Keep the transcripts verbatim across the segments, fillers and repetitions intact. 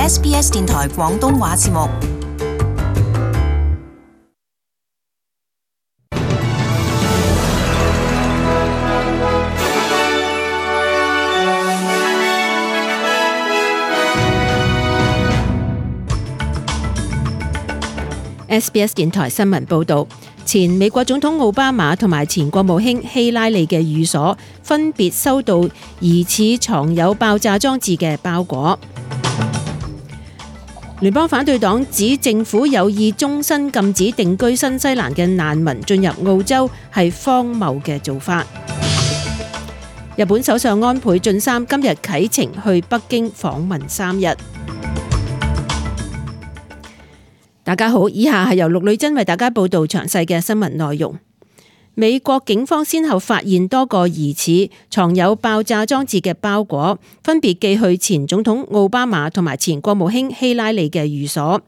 S B S 電台廣東話節目。S B S 電台新聞報導，前美國總統奧巴馬同埋前國務卿希拉里嘅寓所分別收到疑似藏有爆炸裝置嘅包裹。聯邦反對黨指政府有意終身禁止定居新西蘭嘅難民進入澳洲係荒謬嘅做法。日本首相安倍晉三今日啟程去北京訪問三日。大家好，以下係由陸女珍為大家報道詳細嘅新聞內容。美國警方先後發現多個疑似藏有爆炸裝置嘅包裹，分別寄去前總統奧巴馬同埋前國務卿希拉里嘅寓所。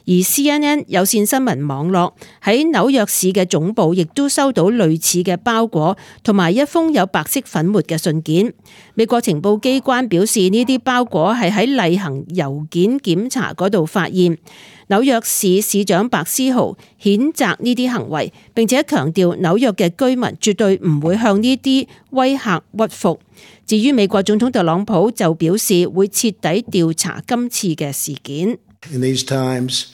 而 C N N 有線新聞網絡喺紐約市嘅總部亦都收到類似嘅包裹同埋一封有白色粉末嘅信件。美國情報機關表示，呢啲包裹係喺例行郵件檢查嗰度發現。紐約市市長白思豪譴責呢啲行為，並且強調紐約嘅居民絕對唔會向呢啲威嚇屈服。至於美國總統特朗普就表示會徹底調查今次嘅事件。In these times,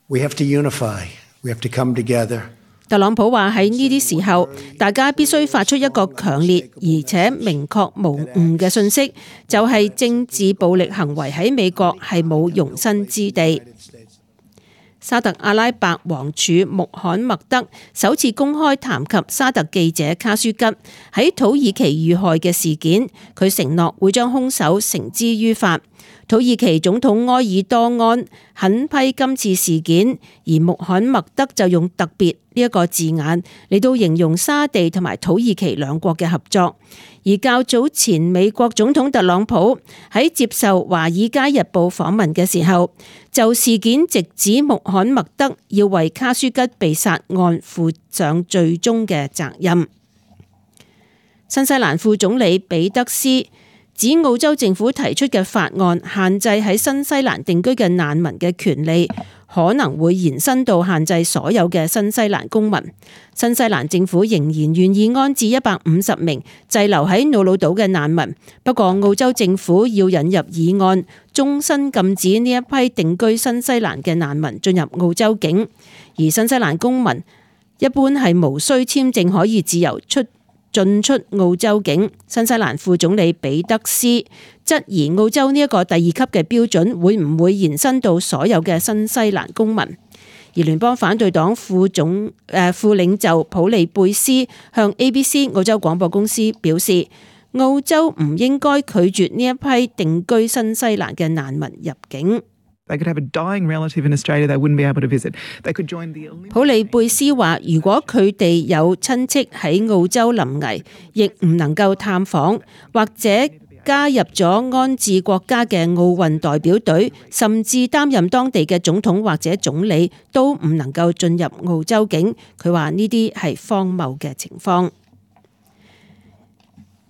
we have to unify. We have to come together. 特朗普話喺呢啲時候，大家必須發出一個強烈而且明確無誤嘅訊息，就係政治暴力行為喺美國係冇容身之地。沙特阿拉伯王儲穆罕默德首次公開談及沙特記者卡舒吉喺土耳其遇害嘅事件，佢承諾會將兇手繩之於法。土耳其總統埃爾多安狠批今次事件，而穆罕默德就用特別呢一個字眼嚟到形容沙地同埋土耳其兩國嘅合作。而較早前美國總統特朗普喺接受華爾街日報訪問嘅時候，就事件直指穆罕默德要為卡舒吉被殺案負上最終嘅責任。新西蘭副總理彼得斯指澳洲政府提出嘅法案限制喺新西蘭定居嘅難民嘅權利，可能會延伸到限制所有嘅新西蘭公民。新西蘭政府仍然願意安置一百五十名滯留喺瑙魯島嘅難民，不過澳洲政府要引入議案，終身禁止呢一批定居新西蘭嘅難民進入澳洲境，而新西蘭公民一般係無需簽證可以自由出進出澳洲境。新西蘭副總理彼得斯質疑澳洲呢一個第二級嘅標準會唔會延伸到所有嘅新西蘭公民。而聯邦反對黨副總誒、呃、副領袖普利貝斯向 A B C 澳洲廣播公司表示，澳洲唔應該拒絕呢一批定居新西蘭嘅難民入境。普利貝斯話，如果佢哋有親戚喺澳洲臨危，亦唔能夠探訪，或者加入咗安置國家嘅奧運代表隊，甚至擔任當地嘅總統或者總理，都唔能夠進入澳洲境。佢話呢啲係荒謬嘅情況。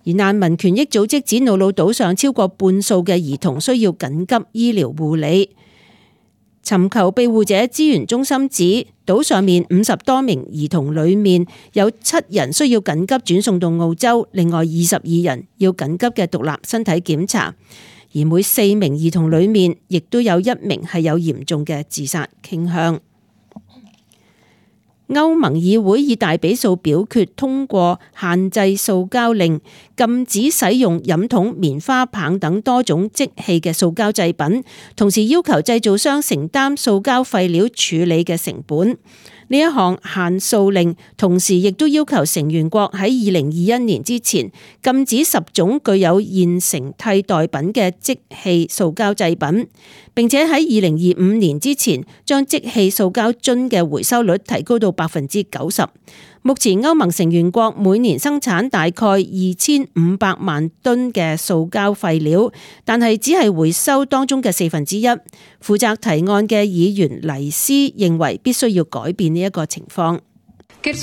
而難民權益組織指瑙魯島上超過半數嘅兒童需要緊急醫療護理。尋求庇護者資源中心指，島上面五十多名兒童裏面有七人需要緊急轉送到澳洲，另外二十二人要緊急嘅獨立身體檢查，而每四名兒童裏面亦都有一名係有嚴重嘅自殺傾向。歐盟議會以大比數表決通過限制塑膠令，禁止使用飲筒、棉花棒等多種即棄嘅塑膠製品，同時要求製造商承擔塑膠廢料處理嘅成本。呢一項限塑令同時亦都要求成員國喺二零二一年之前禁止十種具有現成替代品嘅即棄塑膠製品，並且喺二零二五年之前將即棄塑膠樽嘅回收率提高到百分之九十。目前歐盟成員國每年生產大概二千五百萬噸嘅塑膠廢料，但係只係回收當中嘅四分之一。負責提案嘅議員黎斯認為必須要改變呢一個情況。黎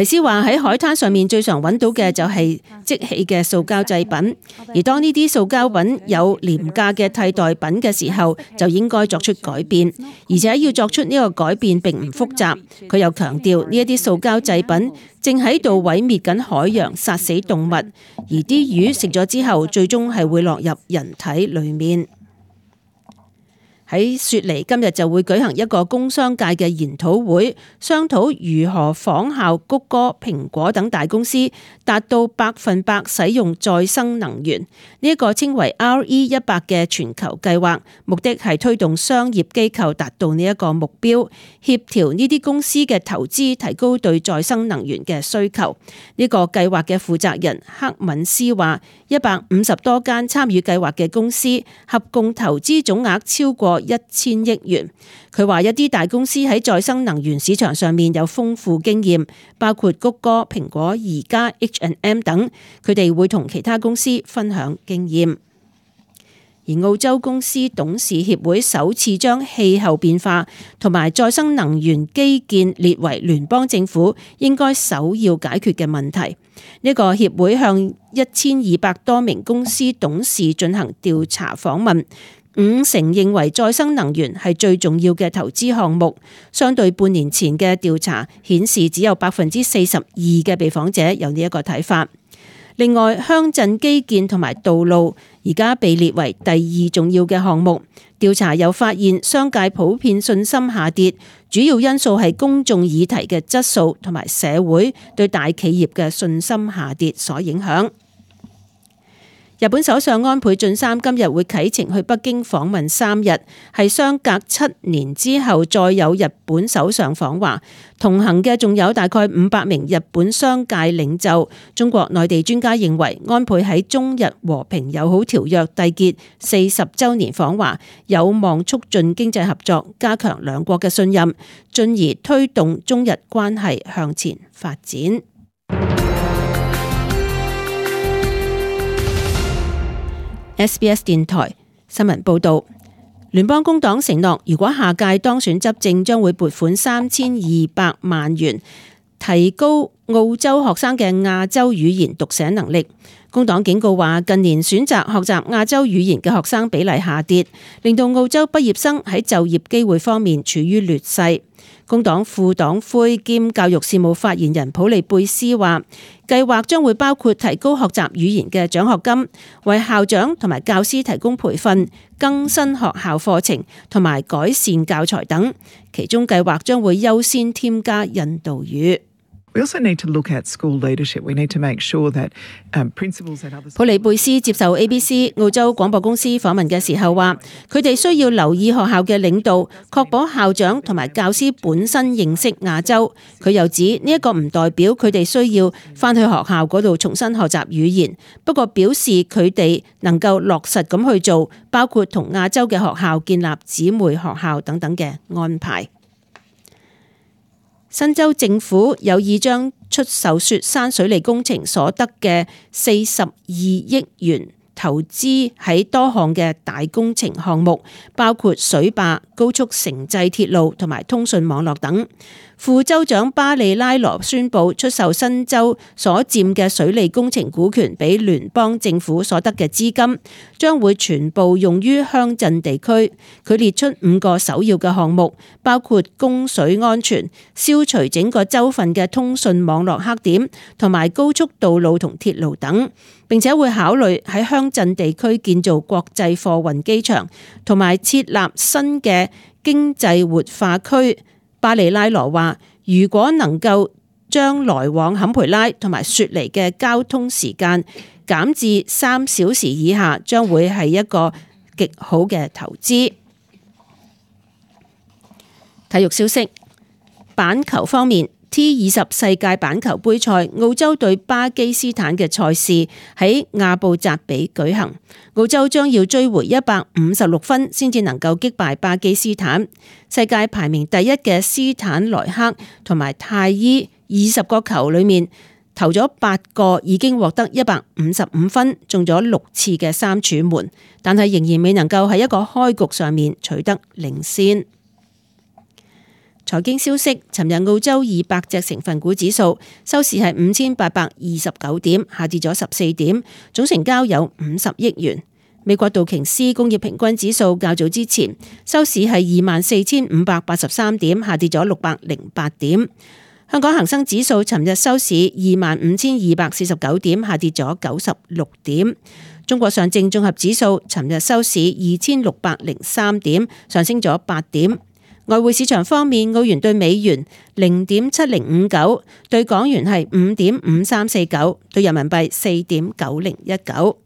斯話喺海灘上面最常揾到嘅就係即棄嘅塑膠製品，而當呢啲塑膠品有廉價嘅替代品嘅時候，就應該作出改變，而且要作出呢個改變並唔複雜。佢又強調呢一啲塑膠製品正喺度毀滅緊海洋，殺死動物，而啲魚食咗之後，最終係會落入人體裏面。喺雪梨今日就會舉行一個工商界嘅研討會，商討如何仿效谷歌、蘋果等大公司，達到百分百使用再生能源。呢一個稱為 R E 一百嘅全球計劃，目的係推動商業機構達到呢一個目標，協調呢啲公司嘅投資，提高對再生能源嘅需求。呢個計劃嘅負責人克敏斯話，一百五十多間參與計劃嘅公司合共投資總額超過一千億元。佢話一啲大公司喺再生能源市場上面有豐富經驗，包括谷歌、蘋果、宜家、H and M 等，佢哋會同其他公司分享經驗。而澳洲公司董事協會首次將氣候變化同埋再生能源基建列為聯邦政府應該首要解決嘅問題。呢個協會向一千二百多名公司董事進行調查訪問，五成認為再生能源係最重要嘅投資項目，相對半年前嘅調查顯示只有百分之四十二嘅被訪者有呢一個睇法。另外，鄉鎮基建同埋道路而家被列為第二重要嘅項目。調查又發現商界普遍信心下跌，主要因素係公眾議題嘅質素同埋社會對大企業嘅信心下跌所影響。日本首相安倍晉三今日會啟程去北京訪問三日，係相隔七年之後再有日本首相訪華，同行嘅仲有大概五百名日本商界領袖。中國內地專家認為，安倍喺中日和平友好條約締結四十週年訪華，有望促進經濟合作，加強兩國嘅信任，進而推動中日關係向前發展。S B S 電台新聞報道，聯邦工黨承諾，如果下屆當選執政，將會撥款三千二百萬元，提高澳洲學生嘅亞洲語言讀寫能力。工黨警告話，近年選擇學習亞洲語言嘅學生比例下跌，令到澳洲畢業生喺就業機會方面處於劣勢。工黨副黨魁兼教育事務發言人普利貝斯話，計劃將會包括提高學習語言嘅獎學金，為校長同埋教師提供培訓、更新學校課程同埋改善教材等。其中計劃將會優先添加印度語。We also need to look at school leadership. We need to make sure that principals and others. 普利貝斯接受 A B C 澳洲廣播公司訪問嘅時候話，佢哋需要留意學校嘅領導，確保校長同埋教師本身認識亞洲。佢又指呢一個唔代表佢哋需要返去學校嗰度重新學習語言，不過表示佢哋能夠落實咁去做，包括同亞洲嘅學校建立姊妹學校等等嘅安排。新州政府有意將出售雪山水利工程所得嘅四十二億元投資喺多項嘅大工程項目，包括水壩、高速城際鐵路同埋通訊網絡等。副州長巴利拉羅宣布出售新州所佔嘅水利工程股權俾聯邦政府所得嘅資金，將會全部用於鄉鎮地區。佢列出五個首要嘅項目，包括供水安全、消除整個州份嘅通訊網絡黑點同埋高速道路同鐵路等，並且會考慮喺鄉鎮地區建造國際貨運機場同埋設立新嘅經濟活化區。巴里拉羅話，如果能夠將來往坎培拉同埋雪梨嘅交通時間減至三小時以下，將會係一個極好嘅投資。體育消息，板球方面， T 二十世界板球杯賽，澳洲對巴基斯坦嘅賽事喺亞布扎比舉行。澳洲將要追回一百五十六分，先至能夠擊敗巴基斯坦。世界排名第一嘅斯坦萊克同埋泰伊二十個球裏面投咗八個，已經獲得一百五十五分，中咗六次嘅三柱門，但係仍然未能夠喺一個開局上面取得領先。財經消息，尋日澳洲二百隻成分股指數收市係五千八百二十九點，下跌咗十四點，總成交有五十億元。美國道瓊斯工業平均指數較早之前收市係二萬四千五百八十三點，下跌咗六百零八點。香港恒生指數尋日收市二萬五千二百四十九點，下跌咗九十六點。中國上證綜合指數尋日收市二千六百零三點，上升咗八點。外匯市場方面，澳元對美元零點七零五九，對港元係五點五三四九，對人民幣四點九零一九。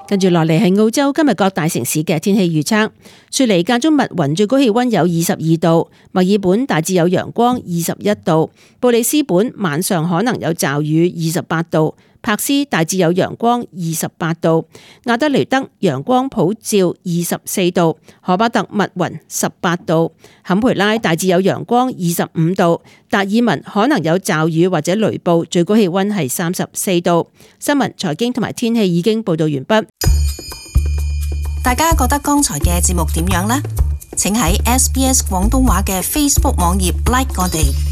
跟住落嚟係澳洲今日各大城市嘅天氣預測。雪梨間中密雲，最高氣溫有二十二度；墨爾本大致有陽光，二十一度；布里斯本晚上可能有驟雨，二十八度；柏斯大致有陽光，二十八度；亞德雷德陽光普照，二十四度；荷巴特密雲，十八度；坎培拉大致有陽光，二十五度；達爾文可能有驟雨或者雷暴，最高氣溫係三十四度。新聞、財經同埋天氣已經報道完畢。大家覺得剛才嘅節目點樣呢？請喺 S B S 廣東話嘅 Facebook 網頁 like 我哋。